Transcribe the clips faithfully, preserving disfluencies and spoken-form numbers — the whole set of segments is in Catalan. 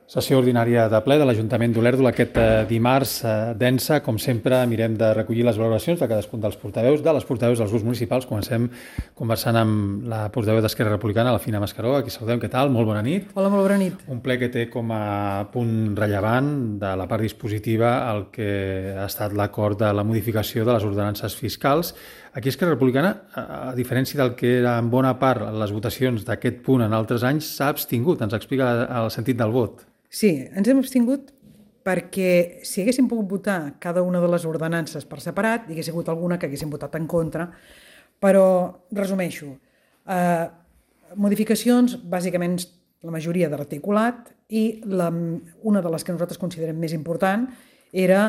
Sessió ordinària de ple de l'Ajuntament d'Olèrdola aquest dimarts densa. Com sempre, mirem de recollir les valoracions de cadascun dels portaveus, de les portaveus dels grups municipals. Comencem conversant amb la portaveu d'Esquerra Republicana, la Fina Mascaró. Aquí saludem. Què tal? Molt bona nit. Hola, molt bona nit. Un ple que té com a punt rellevant de la part dispositiva el que ha estat l'acord de la modificació de les ordenances fiscals. Aquí Esquerra Republicana, a diferència del que era en bona part les votacions d'aquest punt en altres anys, s'ha abstingut. Ens explica el sentit del vot. Sí, ens hem abstingut perquè si haguéssim pogut votar cada una de les ordenances per separat, hi hagués hagut alguna que haguéssim votat en contra, però resumeixo. Eh, modificacions, bàsicament la majoria de l'articulat, i la, una de les que nosaltres considerem més important era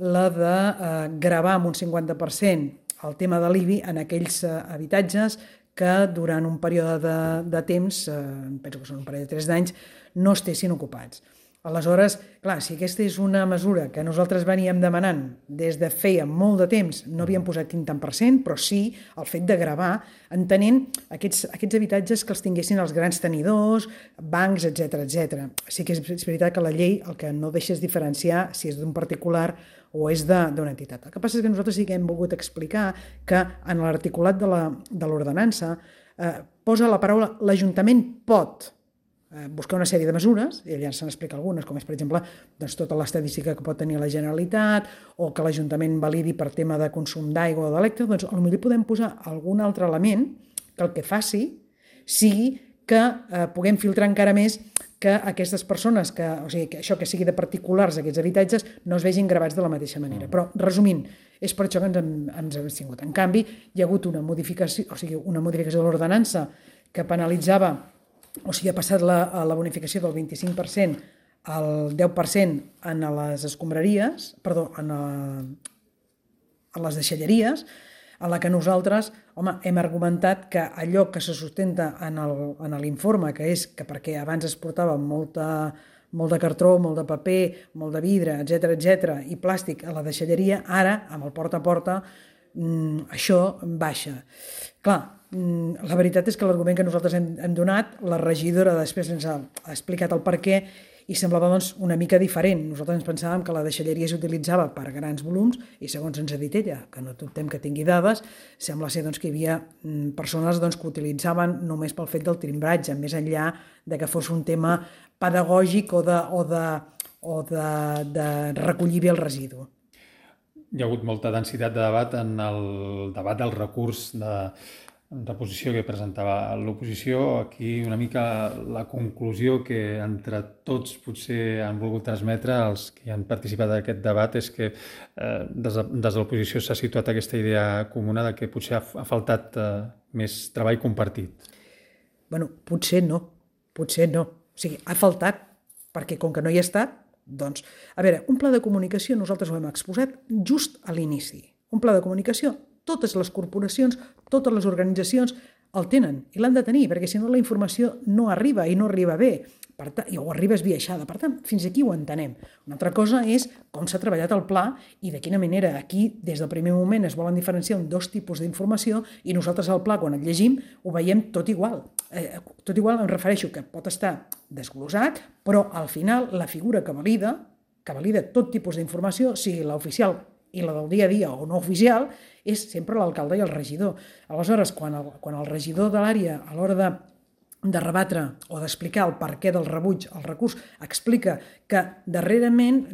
la de eh, gravar amb un cinquanta per cent el tema de l'I B I en aquells eh, habitatges que durant un període de, de temps, eh, penso que són un parell de tres d'anys, no estessin ocupats. Aleshores, clar, si aquesta és una mesura que nosaltres veníem demanant des de feia molt de temps, no havíem posat quin tant per cent, però sí el fet de gravar, entenent aquests, aquests habitatges que els tinguessin els grans tenidors, bancs, etcètera, etcètera. Sí que és, és veritat que la llei el que no deixa és diferenciar si és d'un particular o és d'una entitat. El que passa és que nosaltres sí que hem volgut explicar que en l'articulat de l'ordenança eh, posa la paraula l'Ajuntament pot buscar una sèrie de mesures, i allà se'n explica algunes, com és, per exemple, doncs, tota l'estadística que pot tenir la Generalitat o que l'Ajuntament validi per tema de consum d'aigua o d'electre, doncs potser podem posar algun altre element que el que faci sigui que eh, puguem filtrar encara més que aquestes persones, que, o sigui, que això que sigui de particulars, aquests habitatges, no es vegin gravats de la mateixa manera. Però, resumint, és per això que ens hem, ens hem abstingut. En canvi, hi ha hagut una modificació, o sigui, una modificació de l'ordenança que penalitzava, o sigui, ha passat la, la bonificació del vint-i-cinc per cent al deu per cent en les escombraries, perdó, en, a, en les deixalleries, en la que nosaltres, home, hem argumentat que allò que se sustenta en l'informe, que és que perquè abans es portava molta, molt de cartró, molt de paper, molt de vidre, etcètera, etcètera, i plàstic a la deixalleria, ara, amb el porta a porta, mm, això baixa. Clar, la veritat és que l'argument que nosaltres hem, hem donat, la regidora després ens ha explicat el per què i semblava doncs, una mica diferent. Nosaltres ens pensàvem que la deixalleria s'utilitzava per grans volums i segons ens ha dit ella, que no dubtem que tingui dades, sembla ser doncs, que hi havia persones doncs, que utilitzaven només pel fet del timbratge, més enllà de que fos un tema pedagògic o de, o de, o de, de recollir bé el residu. Hi ha hagut molta densitat de debat en el debat del recurs de reposició que presentava l'oposició. Aquí una mica la conclusió que entre tots potser han volgut transmetre els que han participat en aquest debat és que eh, des de, des de l'oposició s'ha situat aquesta idea comuna de que potser ha, ha faltat eh, més treball compartit. Bueno, potser no, potser no. O sigui, ha faltat, perquè com que no hi ha estat, doncs, a veure, un pla de comunicació nosaltres ho hem exposat just a l'inici. Un pla de comunicació, totes les corporacions, totes les organitzacions el tenen i l'han de tenir, perquè si no la informació no arriba i no arriba bé, per tant, o arriba esbiaixada. Per tant, fins aquí ho entenem. Una altra cosa és com s'ha treballat el pla i de quina manera aquí, des del primer moment, es volen diferenciar en dos tipus d'informació i nosaltres el pla, quan el llegim, ho veiem tot igual. Eh, tot igual em refereixo que pot estar desglosat, però al final la figura que valida, que valida tot tipus d'informació, sigui l'oficial i la del dia a dia o no oficial, és sempre l'alcalde i el regidor. Aleshores, quan el, quan el regidor de l'àrea, a l'hora de, de rebatre o d'explicar el per què del rebuig al recurs, explica que darrerament,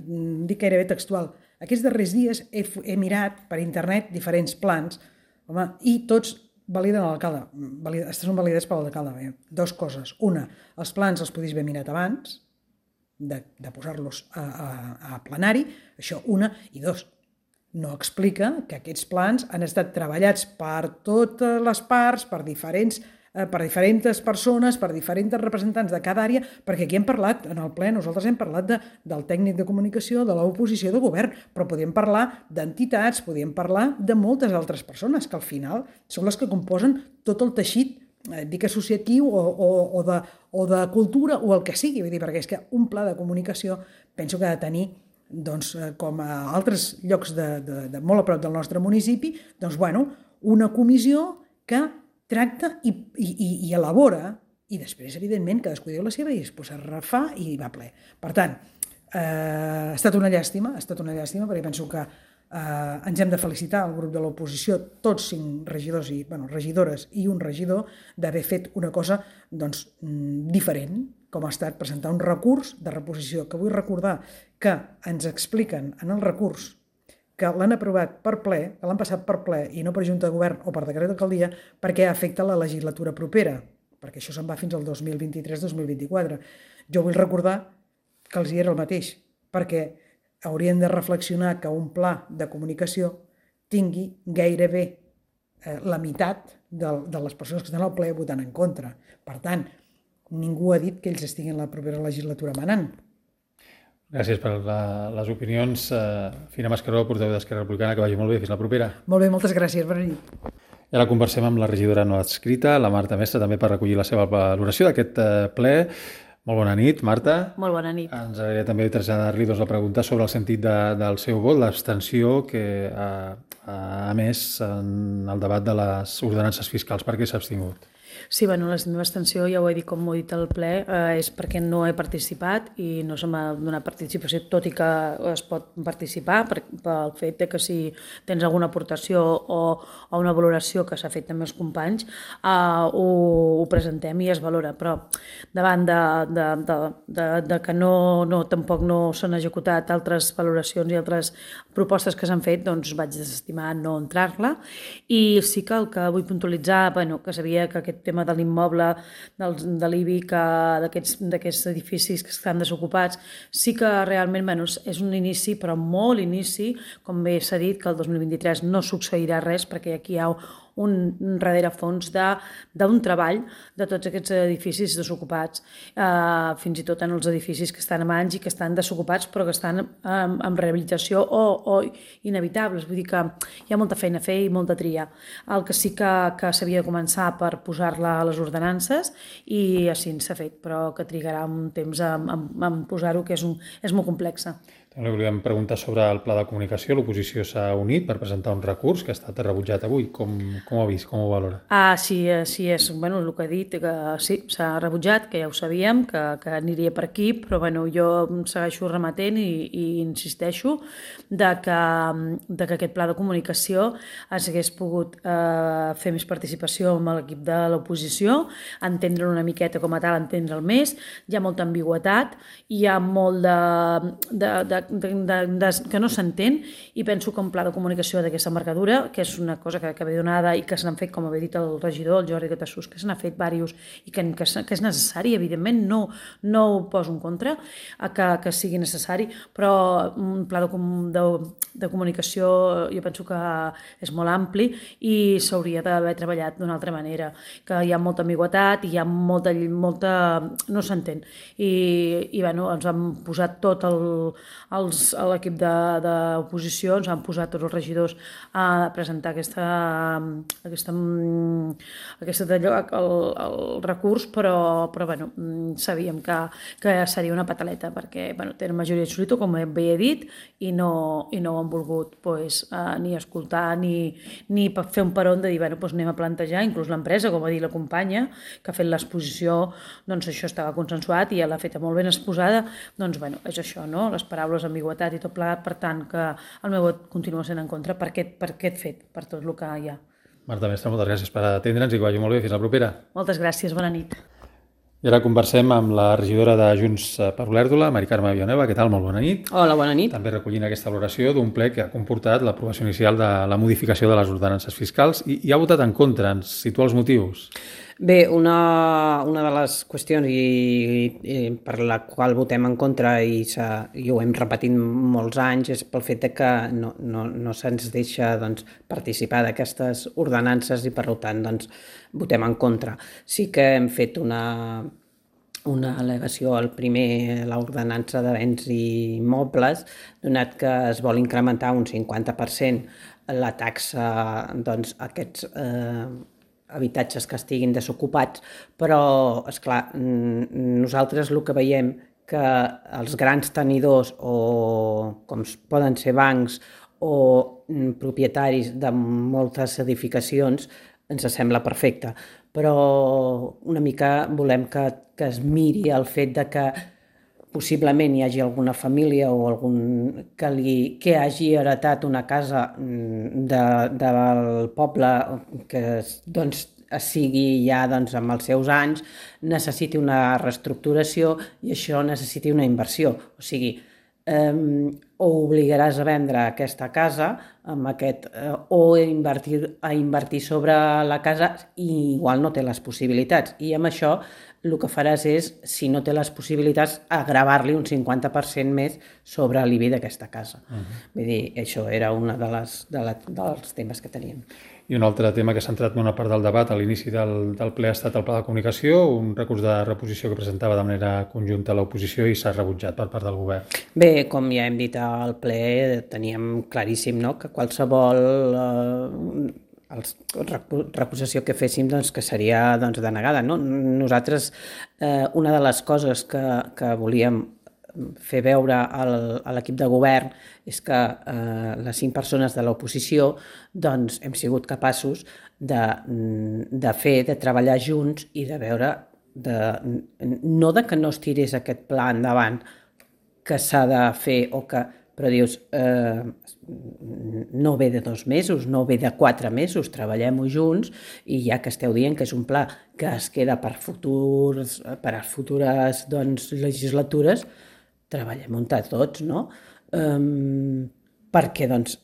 dic gairebé textual, aquests darrers dies he, he mirat per internet diferents plans, home, i tots validen l'alcalde. Estes són validats per l'alcalde. Dos coses. Una, els plans els podis haver mirat abans, de, de posar-los a, a, a plenari, això una, i dos, no explica que aquests plans han estat treballats per totes les parts, per diferents, eh, per diferents persones, per diferents representants de cada àrea, perquè aquí hem parlat, en el ple, nosaltres hem parlat de, del tècnic de comunicació, de l'oposició, de govern, però podíem parlar d'entitats, podíem parlar de moltes altres persones, que al final són les que composen tot el teixit, eh, dic associatiu o, o, o, de, o de cultura o el que sigui, vull dir, perquè és que un pla de comunicació penso que ha de tenir doncs, com a altres llocs de, de, de molt a prop del nostre municipi, doncs, bueno, una comissió que tracta i, i, i elabora i després, evidentment, cadascú diu la seva i després es refà i va ple. Per tant, eh, ha estat una llàstima, ha estat una llàstima, perquè penso que eh, ens hem de felicitar al grup de l'oposició, tots cinc regidors i bueno, regidores i un regidor, d'haver fet una cosa doncs, diferent, com ha estat presentar un recurs de reposició, que vull recordar que ens expliquen en el recurs que l'han aprovat per ple, que l'han passat per ple i no per Junta de Govern o per decret d'alcaldia, perquè afecta la legislatura propera, perquè això se'n va fins al dos mil vint-i-tres dos mil vint-i-quatre. Jo vull recordar que els hi era el mateix, perquè haurien de reflexionar que un pla de comunicació tingui gairebé eh, la meitat de, de les persones que estan al ple votant en contra. Per tant, ningú ha dit que ells estiguin a la propera legislatura manant. Gràcies per la, les opinions. Uh, Fina Mascaró, portaveu d'Esquerra Republicana, que vagi molt bé. Fins la propera. Molt bé, moltes gràcies. Bona nit. I ara conversem amb la regidora no adscrita, la Marta Mestre, també per recollir la seva valoració d'aquest uh, ple. Molt bona nit, Marta. Molt bona nit. Ens agradaria també traslladar-li doncs, la pregunta sobre el sentit de, del seu vot, l'abstenció que ha, ha emès en el debat de les ordenances fiscals. Per què s'ha abstingut? Sí, bueno, la meva abstenció, ja ho he dit com ho he dit al ple, eh, és perquè no he participat i no se m'ha donat participació, tot i que es pot participar per, pel fet de que si tens alguna aportació o, o una valoració que s'ha fet amb els companys, eh, ho, ho presentem i es valora, però davant de, de, de, de, de que no, no, tampoc no s'han executat altres valoracions i altres propostes que s'han fet, doncs vaig desestimar no entrar-la. I sí que el que vull puntualitzar, bueno, que sabia que aquest tema de l'immoble, de l'I B I, d'aquests edificis que estan desocupats, sí que realment bueno, és un inici, però molt inici, com bé s'ha dit, que el dos mil vint-i-tres no succeirà res, perquè aquí hi ha un rerefons d'un treball de tots aquests edificis desocupats, eh, fins i tot en els edificis que estan a mans i que estan desocupats però que estan en, en rehabilitació o, o inevitables, vull dir que hi ha molta feina a fer i molta tria. El que sí que, que s'havia de començar per posar-la a les ordenances i així s'ha fet, però que trigarà un temps en, en, en posar-ho, que és, un, és molt complexa. També volíem preguntar sobre el pla de comunicació. L'oposició s'ha unit per presentar un recurs que ha estat rebutjat avui. Com, com ho ha vist? Com ho valora? Ah, sí, sí és bueno, el que ha dit, que sí, s'ha rebutjat, que ja ho sabíem, que, que aniria per aquí, però bueno, jo em segueixo remetent i, i insisteixo de que, de que aquest pla de comunicació s'hagués pogut eh, fer més participació amb l'equip de l'oposició, entendre una miqueta com a tal, entendre'l més. Hi ha molta ambigüetat, hi ha molt de, de, de De, de, de, que no s'entén, i penso que un pla de comunicació d'aquesta envergadura, que és una cosa que, que ve donada i que se n'han fet, com havia dit el regidor, el Jordi Catassús, que se n'ha fet diversos i que, que, que és necessari, evidentment, no, no ho poso en contra, que, que sigui necessari, però un pla de, de, de comunicació jo penso que és molt ampli i s'hauria d'haver treballat d'una altra manera, que hi ha molta ambigüetat i hi ha molta... molta no s'entén. I, i bueno, ens han posat tot el l'equip d'oposició, ens han posat tots els regidors a presentar aquesta, aquesta, aquesta el, el recurs, però, però bueno, sabíem que, que seria una pataleta, perquè bueno, tenen majoria absoluta, com bé he dit, i no, i no ho han volgut pues, eh, ni escoltar ni, ni fer un peron de dir bueno, pues anem a plantejar, inclús l'empresa, com ha dit la companya, que ha fet l'exposició, doncs això estava consensuat i ja l'ha feta molt ben exposada, doncs bueno, és això, no? Les paraules ambigüitat i tot plegat, per tant que el meu vot continua sent en contra per aquest, per aquest fet, per tot el que hi ha. Marta Mestre, moltes gràcies per atendre'ns i que vagi molt bé. Fins la propera. Moltes gràcies, bona nit. I ara conversem amb la regidora de Junts per Olèrdola, Mari Carme Villanueva. Què tal? Molt bona nit. Hola, bona nit. També recollint aquesta valoració d'un ple que ha comportat l'aprovació inicial de la modificació de les ordenances fiscals i, i ha votat en contra. Ens situa els motius? Bé, una, una de les qüestions i, i per la qual votem en contra i, i ho hem repetit molts anys és pel fet de que no, no, no se'ns deixa doncs, participar d'aquestes ordenances i per tant doncs, votem en contra. Sí que hem fet una, una al·legació al primer, l'ordenança de béns i immobles, donat que es vol incrementar un cinquanta per cent la taxa doncs, aquests eh, habitatges que estiguin desocupats, però, esclar, nosaltres el que veiem que els grans tenidors o com poden ser bancs o propietaris de moltes edificacions ens sembla perfecte, però una mica volem que, que es miri el fet de que possiblement hi hagi alguna família o algun que, li, que hagi heretat una casa de, del poble que doncs, sigui ja doncs, amb els seus anys, necessiti una reestructuració i això necessiti una inversió. O sigui, eh, o obligaràs a vendre aquesta casa amb aquest, eh, o invertir, a invertir sobre la casa i igual no té les possibilitats. I amb això el que faràs és, si no té les possibilitats, agravar-li un cinquanta per cent més sobre l'I B I d'aquesta casa. Uh-huh. Vull dir, això era un de les, de la, dels temes que teníem. I un altre tema que s'ha entrat en una part del debat a l'inici del, del ple ha estat el pla de comunicació, un recurs de reposició que presentava de manera conjunta l'oposició i s'ha rebutjat per part del govern. Bé, com ja hem dit al ple, teníem claríssim, no?, que qualsevol eh, els, reposició que féssim doncs, que seria doncs, denegada. No? Nosaltres, eh, una de les coses que, que volíem fer veure al, a l'equip de govern és que eh, les cinc persones de l'oposició doncs, hem sigut capaços de, de fer, de treballar junts i de veure, de, no de que no es tirés aquest pla endavant que s'ha de fer o que però dius, eh, no ve de dos mesos, no ve de quatre mesos, treballem-ho junts i ja que esteu dient que és un pla que es queda per, futurs, per a futures doncs, legislatures, treballem-ho entre tots, no? Um, perquè doncs,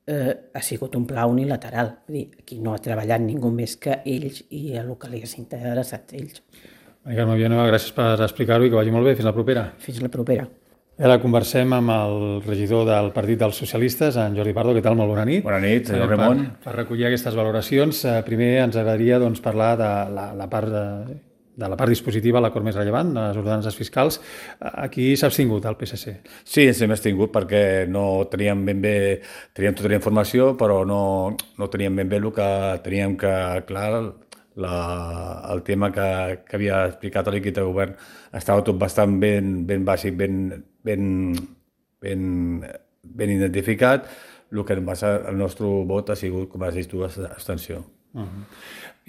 eh, ha sigut un pla unilateral. Vull dir, aquí no ha treballat ningú més que ells i el que li ha interessat ells. Carme Villanueva, gràcies per explicar-ho i que vagi molt bé. Fins la propera. Fins la propera. Ara conversem amb el regidor del Partit dels Socialistes, en Jordi Pardo. Què tal? Molt bona nit. Bona nit, senyor Ramon. Per, per recollir aquestes valoracions, primer ens agradaria doncs, parlar de la, la part de, de la part dispositiva, l'acord més rellevant, les ordenances fiscals. Aquí s'ha abstingut el P S C. Sí, ens hem abstingut perquè no teníem ben bé, teníem tota la informació, però no, no teníem ben bé el que teníem que clar. La, el tema que, que havia explicat a l'equip de govern estava tot bastant ben, ben bàsic, ben, ben, ben, ben identificat. El que passa, el nostre vot ha sigut, com has dit tu, abstenció. Uh-huh.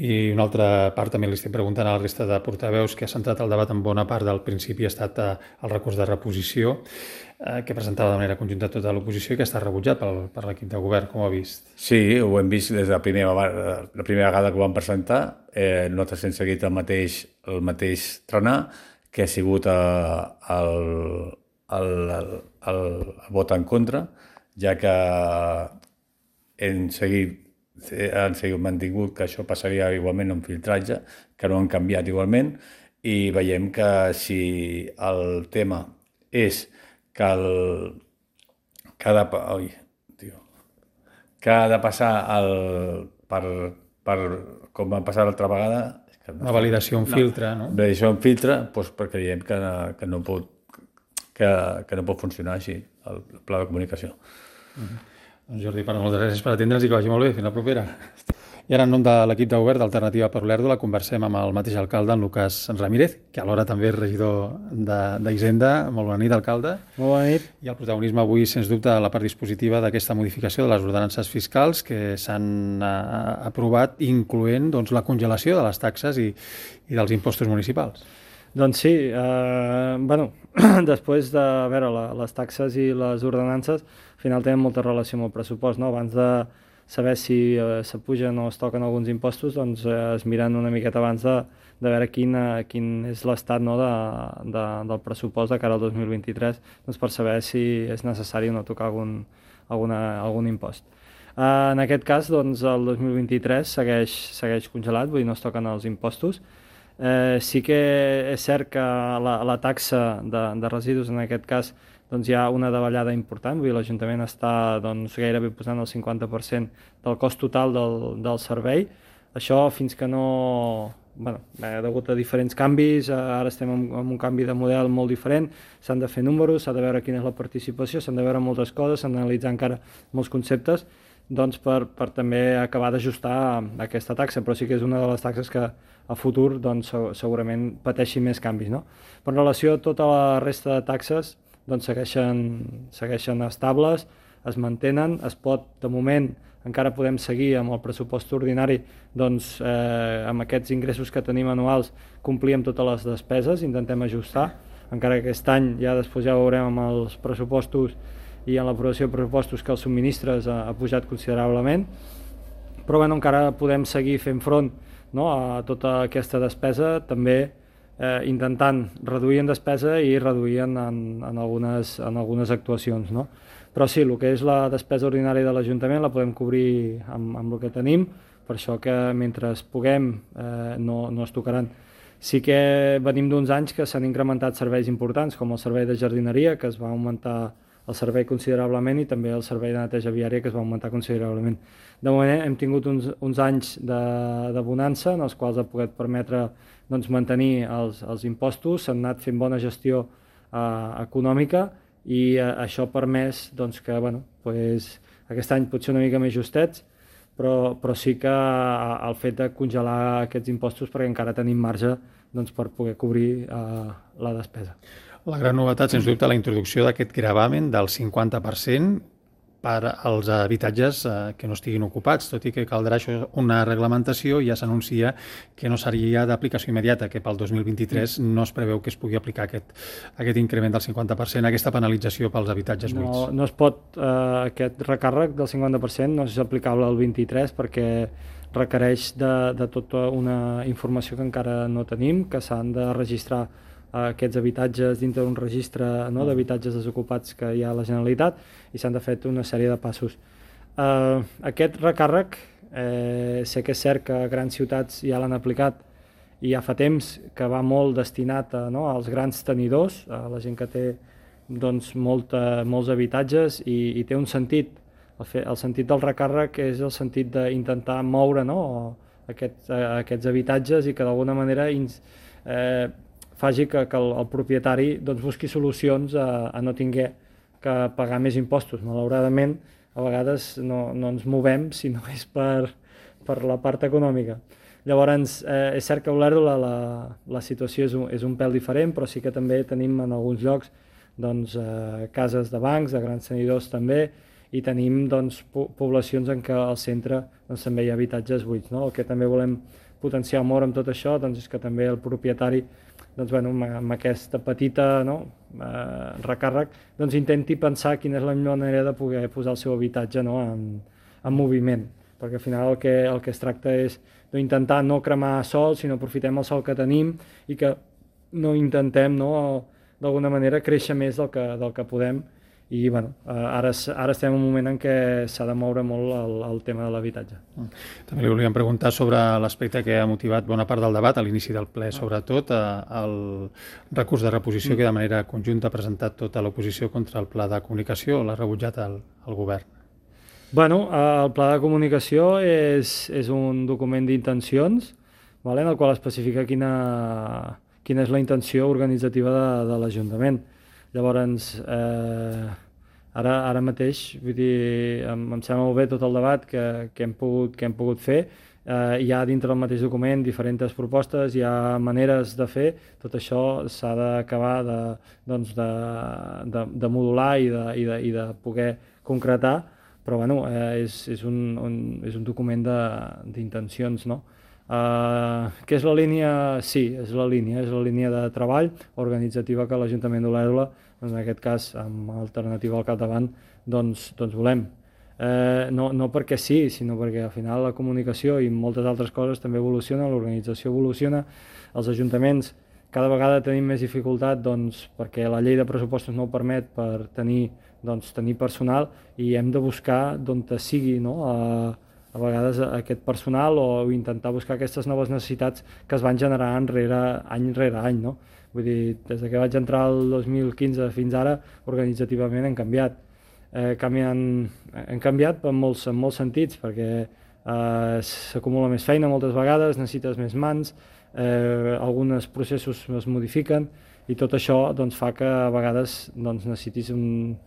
I una altra part també li estic preguntant a la resta de portaveus que ha centrat el debat en bona part del principi ha estat eh, el recurs de reposició eh, que presentava de manera conjunta tota l'oposició i que està rebutjat per, per l'equip de govern, com ho ha vist? Sí, ho hem vist des de la primera, la primera vegada que ho vam presentar. Eh, nosaltres hem seguit el mateix, el mateix trenar que ha sigut eh, el, el, el, el, el vot en contra, ja que hem seguit han sigut mantingut que això passaria igualment en filtratge, que no han canviat igualment, i veiem que si el tema és que, el, que, ha, de, oi, tio, que ha de passar el, per, per, com va passar l'altra vegada... Que no, una validació en no, filtre, no? Validació en filtre, doncs perquè diem que, que, no pot, que, que no pot funcionar així, el pla de comunicació. Uh-huh. Doncs Jordi, per moltes gràcies per atendre'ns i que vagi molt bé. Fins la propera. I ara, en nom de l'equip de govern d'Alternativa per l'Olèrdola, conversem amb el mateix alcalde, en Lucas Ramírez, que alhora també és regidor d'Hisenda. Molt bona nit, alcalde. Molt bona nit. I el protagonisme avui, sens dubte, a la part dispositiva d'aquesta modificació de les ordenances fiscals que s'han aprovat, incloent doncs, la congelació de les taxes i, i dels impostos municipals. Doncs sí, eh, bueno, després de veure la, les taxes i les ordenances, al final tenen molta relació amb el pressupost, no? Abans de saber si eh, s'apugen o es toquen alguns impostos, doncs eh, es miren una miqueta abans de, de veure quin, eh, quin és l'estat, no, de, de, del pressupost de cara al dos mil vint-i-tres, doncs per saber si és necessari o no tocar algun, alguna, algun impost. Eh, en aquest cas, doncs, el dos mil vint-i-tres segueix, segueix congelat, vull dir, no es toquen els impostos. Eh, sí que és cert que la, la taxa de, de residus, en aquest cas, doncs hi ha una davallada important, vull dir, l'Ajuntament està doncs, gairebé posant el cinquanta per cent del cost total del, del servei. Això fins que no... Bueno, ha hagut a diferents canvis, ara estem en, en un canvi de model molt diferent, s'han de fer números, s'ha de veure quina és la participació, s'han de veure moltes coses, s'han d'analitzar encara molts conceptes, doncs per, per també acabar d'ajustar aquesta taxa, però sí que és una de les taxes que a futur doncs, segurament pateixi més canvis, no? Però en relació a tota la resta de taxes doncs segueixen, segueixen estables, es mantenen, es pot, de moment, encara podem seguir amb el pressupost ordinari, doncs eh, amb aquests ingressos que tenim anuals complir amb totes les despeses, intentem ajustar, encara que aquest any ja després ja ho veurem amb els pressupostos i en l'aprovació de pressupostos que els subministres ha, ha pujat considerablement, però bueno, encara podem seguir fent front, no, a tota aquesta despesa, també eh, intentant reduir en despesa i reduir en, en, en, algunes, en algunes actuacions. No? Però sí, el que és la despesa ordinària de l'Ajuntament la podem cobrir amb, amb el que tenim, per això que mentre puguem eh, no, no es tocaran. Sí que venim d'uns anys que s'han incrementat serveis importants, com el servei de jardineria, que es va augmentar el servei considerablement, i també el servei de neteja viària, que es va augmentar considerablement. De moment hem tingut uns, uns anys de, de bonança, en els quals ha pogut permetre doncs, mantenir els, els impostos, s'han anat fent bona gestió eh, econòmica, i eh, això ha permès doncs, que bueno, pues, aquest any potser una mica més justets, però, però sí que el fet de congelar aquests impostos perquè encara tenim marge doncs, per poder cobrir eh, la despesa. La gran novetat, sens dubte, la introducció d'aquest gravamen del cinquanta per cent per als habitatges eh, que no estiguin ocupats, tot i que caldrà això una reglamentació, i ja s'anuncia que no seria d'aplicació immediata, que pel dos mil vint-i-tres no es preveu que es pugui aplicar aquest, aquest increment del cinquanta per cent, aquesta penalització pels habitatges buits. No, no es pot, eh, aquest recàrrec del cinquanta per cent no és aplicable al vint-i-tres perquè requereix de, de tota una informació que encara no tenim, que s'han de registrar aquests habitatges dintre d'un registre, no, d'habitatges desocupats que hi ha a la Generalitat, i s'han de fer una sèrie de passos. Uh, aquest recàrrec, eh, sé que és cert que a grans ciutats ja l'han aplicat i ja fa temps que va molt destinat a, no, als grans tenidors, a la gent que té doncs, molta, molts habitatges, i, i té un sentit. El, fe, el sentit del recàrrec és el sentit d'intentar moure, no, aquest, aquests habitatges i que d'alguna manera eh, faci que, que el, el propietari doncs, busqui solucions a, a no tinguer que pagar més impostos. Malauradament, a vegades no, no ens movem si no és per, per la part econòmica. Llavors, eh, és cert que a Olèrdola la, la situació és un, és un pèl diferent, però sí que també tenim en alguns llocs doncs, eh, cases de bancs, de grans tenidors també, i tenim doncs, po poblacions en què al centre doncs, també hi ha habitatges buits. No? El que també volem potenciar molt amb tot això doncs, és que també el propietari doncs, bueno, amb aquesta petita no, eh, recàrrec doncs, intenti pensar quina és la millor manera de poder posar el seu habitatge no, en, en moviment, perquè al final el que, el que es tracta és d'intentar no cremar sol, sinó aprofitem el sol que tenim i que no intentem no, d'alguna manera créixer més del que, del que podem. I bueno, ara, ara estem en un moment en què s'ha de moure molt el, el tema de l'habitatge. També li volíem preguntar sobre l'aspecte que ha motivat bona part del debat, a l'inici del ple, sobretot el recurs de reposició que de manera conjunta ha presentat tota l'oposició contra el pla de comunicació, l'ha rebutjat el, el govern. Bueno, el pla de comunicació és, és un document d'intencions, vale, en el qual especifica quina, quina és la intenció organitzativa de, de l'Ajuntament. Llavors, eh, ara, ara mateix, vull dir, em, em sembla molt bé tot el debat que, que, hem, pogut, que hem pogut fer. Eh, hi ha dintre del mateix document diferents propostes, hi ha maneres de fer, tot això s'ha d'acabar de, doncs de, de, de modular i de, i, de, i de poder concretar, però bueno, eh, és, és, un, un, és un document d'intencions, no? Uh, què és la línia? Sí, és la línia, és la línia de treball organitzativa que l'Ajuntament d'Olèrdola, en aquest cas amb Alternativa al capdavant, doncs, doncs volem. Uh, no, no perquè sí, sinó perquè al final la comunicació i moltes altres coses també evoluciona, l'organització evoluciona, els ajuntaments cada vegada tenim més dificultat doncs, perquè la llei de pressupostos no ho permet per tenir, doncs, tenir personal, i hem de buscar d'on sigui, no? Uh, a vegades aquest personal o intentar buscar aquestes noves necessitats que es van generar enrere, any rere any. No? Vull dir, des que vaig entrar el dos mil quinze fins ara, organitzativament hem canviat. Eh, canviant, hem canviat en molts, en molts sentits, perquè eh, s'acumula més feina moltes vegades, necessites més mans, eh, alguns processos es modifiquen, i tot això doncs, fa que a vegades doncs, necessitis un,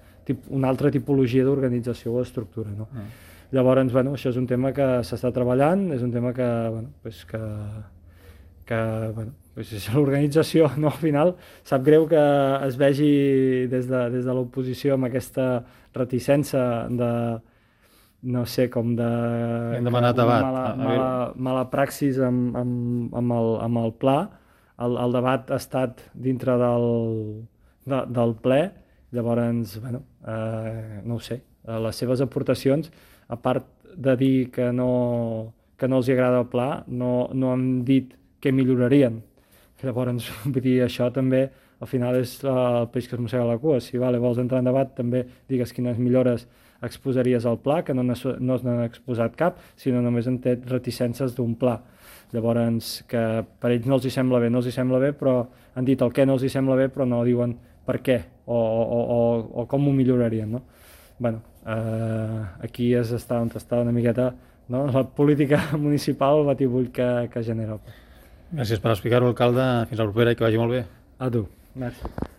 una altra tipologia d'organització o estructura. No? Mm. Llavors, bueno, això és un tema que s'està treballant, és un tema que, bueno, pues que, que, bueno, pues, si l'organització no, al final sap greu que es vegi des de, des de l'oposició amb aquesta reticència de, no sé, com de... Hem demanat debat. Mala, mala, mala praxis amb, amb, amb, el, amb el pla. El, el debat ha estat dintre del, de, del ple, llavors, bueno, eh, no ho sé, les seves aportacions, a part de dir que no, que no els agrada el pla, no, no han dit què millorarien. Llavors, vull dir, això també, al final és el peix que es mossega la cua. Si vale, vols entrar en debat, també digues quines millores exposaries al pla, que no, no n'han exposat cap, sinó només han tret reticències d'un pla. Llavors, que per ells no els hi sembla bé, no els hi sembla bé, però han dit el què no els hi sembla bé, però no diuen per què o, o, o, o com ho millorarien, no? Bueno, eh, aquí és estar on està una miqueta, no? La política municipal, el batibull que, que genera. Gràcies per explicar-ho, alcalde. Fins la propera i que vagi molt bé. A tu. Merci.